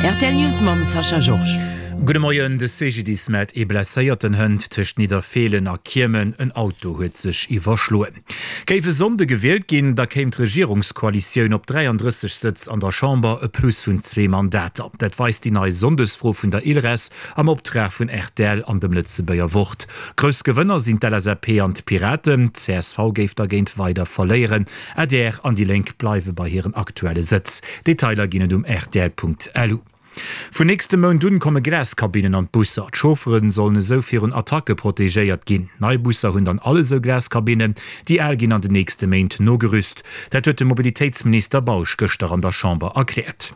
Rtl News mam Sascha Georges. Gudde Moien, De CGDIS mellt ee Blesséierten hënt tëscht Nidderfeelen a Kiemen. En Auto huet sech iwwerschloen. Géif e Sonnde gewielt ginn, da kéim d'Regierungskoalitioun op 33 Sëtz an der Chamber, e Plus vun zwee Mandater. Dat weist déi nei Sonndesfro vun der ILReS am Optrag vun rtl an dem Lëtzebuerger Wort. Grouss Gewënner sinn d'LSAP an d'Piraten. Csv géif dergéint weider verléieren. Adr an déi Lénk bleiwe bei hiren aktuelle Sëtz. Detailer ginn et um rtl.lu. Vun nächstem Mount un komme Glaskabinnen an d'Busser. D'Chauffere sollen esou virun Attacke protegéiert ginn. Nei Busser hunn dann all esou Glaskabinnen, déi al ginn an den nächste Méint nogerüst. Dat huet de Mobilitéitsminister Bausch gëschter an der Chamber erkläert.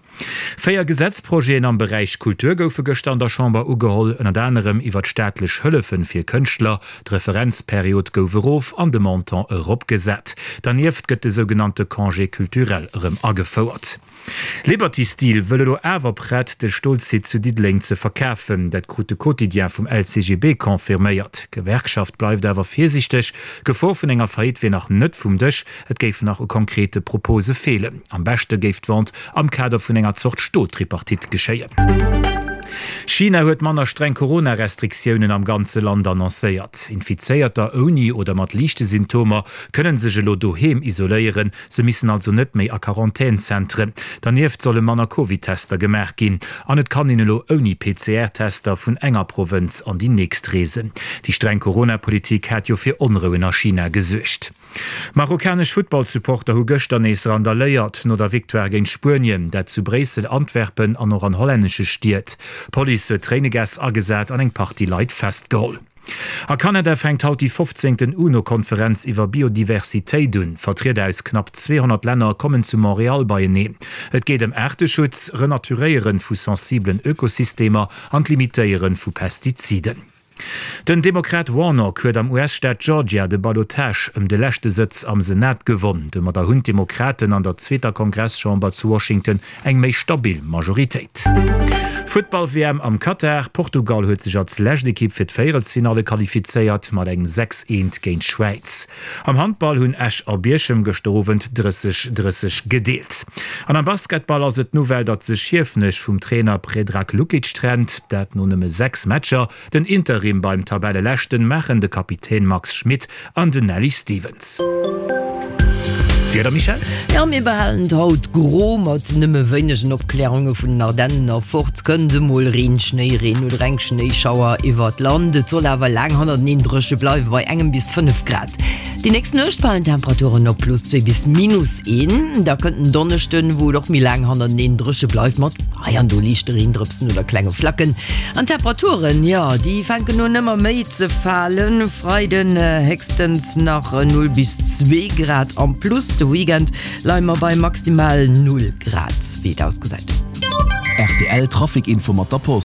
4 Gesetzprojeten am Beräich Kultur goufe gëschter an der Chamber ugeholl, ënnert anerem iwwer d'staatlech Hëllefe fir Kënschtler. D'Referenzperiod gouf erof an de Montant eropgesat. Dernieft gëtt de sougenannte Congé culturel erëm agefouert. Liberty Steel wëll elo awer prett, de Stolsite zu Diddeleng ze verkafen. Dat krut de Quotidien vum LCGB confirméiert. D'Gewerkschaft bleift awer virsiichteg. D'Gefor vun enger Faillite wier nach net vum Dësch. Et géifen nach u konkrete Propose feelen. Am beschte géif d'Vente am Kader vun enger Zort Stoltripartite geschéien. China huet manner streng Corona-Restriktiounen am ganze Land annoncéiert. Infizéierter ouni oder mat liichte Symptomer kënne sech elo doheem isoléieren. Se missen also net méi a Quarantänzentren. Dernieft solle manner Covid-Tester gemaach ginn an et kann een elo ouni PCR-Tester vun enger Provënz an déi nächst reesen. Déi streng Corona-Politik hat jo fir Onrouen a China gesuergt. Marokkanesch Futtballsupporter hu gëschter nees randaléiert no der Victoire géint Spuenien, dat zu Bréissel, Antwerpen an och an hollännesche Stied. D'Police huet Tréinegas agesat an eng Partie Leit festgeholl. A Kanada fänkt haut déi fofzéngten UNO-Konferenz iwwer Biodiversitéit un. Vertrieder aus knapp 200 Länner kommen zu Montréal beieneen. Et geet ëm Aarteschutz, Renaturéiere vu sensibelen Ökosystemer an d'Limitéiere vu Pestiziden. Den Demokrat Warnock huet am US-Staat Georgia de Ballotage ëm de leschte Sëtz am Senat gewonn. Domadder hunn d'Demokraten an der zweeter Kongresschamber zu Washington eng méi stabil Majoritéit. Futtball-WM am Katar, Portugal huet sech als lescht Ekipp fir d'Véierelsfinalle qualifizéiert mat engem 6, 1 géint d'Schwäiz. Am Handball hunn Esch a Bierchem gëschter Owend 30, 30 gedeelt. An am Basketball ass et d'Nouvelle, datt sech Hiefenech vum Trainer Predrag Lukic trennt, dat no nëmme 6 Matcher. Den Interim beim Tabelleleschten maachen de Kapitän Max Schmit an den Nelly Stevens. Wieder, Michèle? Jo, mir behalen et haut gro mat nëmme wéinegen Opklärunge vun den Ardennen erfort. Kënnt emol Reen, Schnéireen oder eng Schnéischauer iwwert d'Land. Et soll awer laang hannerteneen dréche bleiwe bei engem bis 5 Grad. Déi nächst Nuecht falen d'Temperaturen op plus 2 bis minus 1. Da kënnt en Donneschden, wou et och méi laang hannerteneen dréche bleift mat hei an do liichte Reendrëpsen oder klenge Flacken. An d'Temperaturen, jo, déi fänken un ëmmer méi ze falen. Freiden héchstens nach 0 bis 2 Grad am Plus, de Weekend leie mer bei maximal 0 Grad, wéi et ausgesäit. Rtl Trafic Info mat der Post.